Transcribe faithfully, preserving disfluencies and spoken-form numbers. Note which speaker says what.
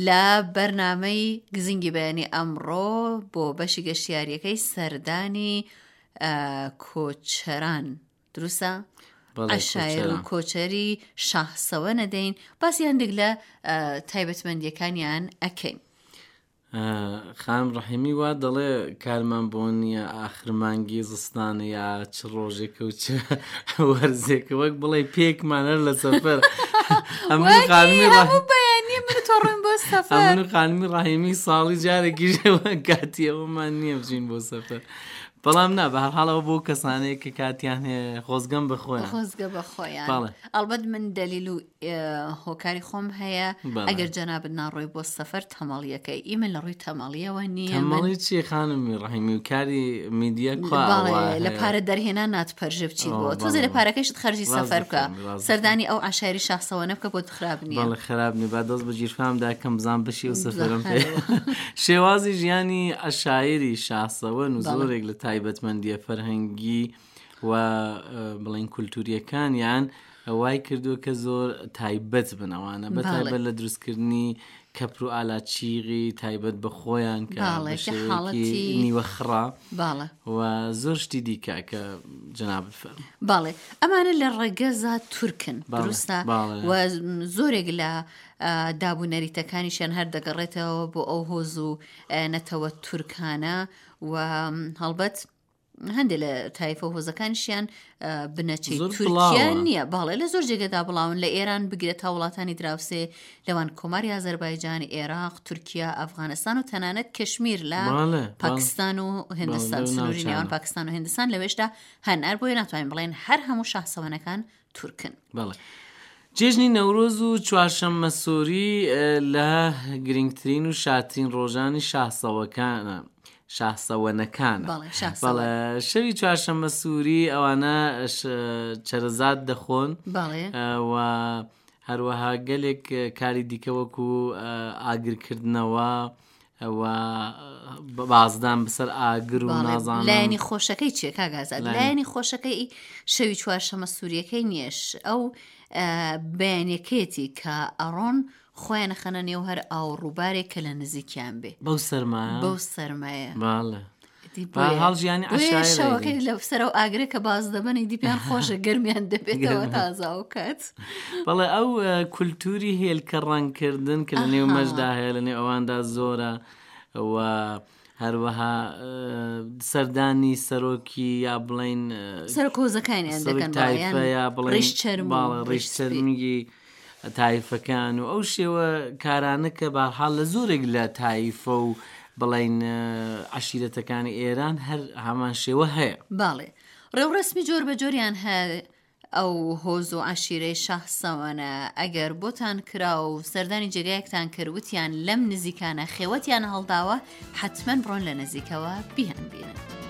Speaker 1: لە بەرنامەی گزینگی بەیانی ئەمڕۆ بۆ بەشی گەشتیاریەکەی سەردانی کۆچەران دروستە؟ عەشایر و کۆچەری شاهسەوە نەدەین باسی هەندێک لە تایبەتمەندیەکانیان ئەکەین.
Speaker 2: خانم ڕەحیمی وا دەڵێ کارمان بۆ نییە ئاخر مانگی زستانە یا چ ڕۆژێکە و چ وەرزێکە وەک بڵێ پێکمان هەر لە سەفەر. ئەمن خانمی
Speaker 1: بەیانی من تۆ ڕۆین بۆ سەفەر.
Speaker 2: ئەمن خانمی ڕەحیمی ساڵی جارێکیش کاتی ئەوەمان نییە بچین بۆ سەفەر. بەڵام نا بە هەر حاڵەوە بۆ کەسانەیە کە کاتیان هەیە خۆزگەم بە خۆیان.
Speaker 1: خۆزگە بە خۆیان. ئەڵبەت من دەلیل و هۆکاری خۆم هەیە. ئەگەر جەنابت ناڕۆی بۆ سەفەر تەمەڵیەکەی ئیمە لە ڕووی تەمەڵیەوە نییە.
Speaker 2: تەمەڵی چی خانمی ڕەحیمی و کاری میدیا کوا
Speaker 1: لە پارە دەرهێنان ناتپەرژێ بچیت بۆ تۆزێ لە پارەکەیشت خەرجی سەفەر بکە سەردانی ئەو عەشایری شاخسەوەنە بکە بۆت خراپ نییە.
Speaker 2: بەڵێ خراپ نییە با دەست بە گیرفامدا کەم بزان بەشی ئەو سەفەرم پێ. شێوازی ژیانی عەشایری شاخسەوەن و زۆرێک لە تایبەتمەندیە فەرهەنگی و بڵێن کولتوریەکانیان وای کردووە کە زۆر تایبەت بن ئەوانە بە تایبەت لە دروستکردنی کەپر و ئالاچیغی تایبەت بە خۆیان کە بە شێوەیەکی نیوە خڕا و زۆر شتی دیکە کە جەنابت فەرموو.
Speaker 1: باڵێ ئەمانە لە ڕەگەزا تورکن دروستە و زۆرێک لە داب و نەریتەکانیشیان هەر دەگەڕێتەوە بۆ ئەو هۆز و نەتەوە تورکانە و هەڵبەت هەندێک لە تایفە و هۆزەکانیشیان بنەچەی تورکیا نییە. باڵێ لە زۆر جێگەدا بڵاون لە ئێران بگرێت تا وڵاتانی دراوسێ لەوان کۆماری ئازەربایجان، ئێراق، تورکیا، ئەفغانستان و تەنانەت کشمیر لە پاکستان و هندستان، سنووری نێوان پاکستان و هندستان لەوێشدا هەن. هەر بۆیە ناتوانین بڵێن هەر هەموو شاهسەوەنەکان تورکن.
Speaker 2: بەڵێ جێژنی نەورۆز و چوارشەممە سووری لە گرنگترین و شاترین ڕۆژانی شاهسەوەکانە شاهسەوەنەکانە. بەڵێ شەوی چوارشەممە سووری ئەوانە چەرەزات دەخۆن و هەروەها گەلێک کاری دیکە وەکو ئاگرکردنەوە و بازدان بەسەر ئاگر و نازانم.
Speaker 1: لایەنی خۆشەکەی چییە کاک ئازاد؟ لایەنی خۆشەکەی شەوی چوارشەممە سووریەکەی نییەش ئەو بەیانیەکەیەتی کە ئەڕۆن خۆیان خەنە نێو هەر ئاو ڕووبارێک کە لە نزیکیان بێ.
Speaker 2: بەو سەرمایە؟
Speaker 1: بەو سەرمایە.
Speaker 2: بەڵێ. هەڵ ژیانی عەشایەر
Speaker 1: شەوەکەی لە سەر ئەو ئاگرە کە باز دەبەن ئیدی پێیان خۆشە گەرمیان دەبێتەوە تازە ئەو کات.
Speaker 2: بەڵێ ئەو کولتوری هێلکە ڕەنگکردن کە لە نێو مەشدا هەیە لە نێو ئەواندا زۆرە و هەروەها سەردانی سەرۆکی یا بڵین
Speaker 1: سەرۆک هۆزەکانیان دەکەن
Speaker 2: تایفە یا بڵێن
Speaker 1: ڕیش چەرم و
Speaker 2: ڕیش چەرمگی تایفەکان و ئەو شێوە کارانە کە بەهەرحاڵ لە زۆرێک لە تایفە و بڵین عەشیرەتەکانی ئێران هەر هەمان شێوە هەیە.
Speaker 1: باڵێ ڕێوڕەسمی جۆر بە جۆریان هەیە ئەو هۆز و عەشیرەی شاهسەوەنە ئەگەر بۆتان کرا و سەردانی جێگایەکتان کرد وتیان لەم نزیکانە خێوەتیان هەڵداوە حتمما بڕۆن لە نزیکەوە بیان بینن.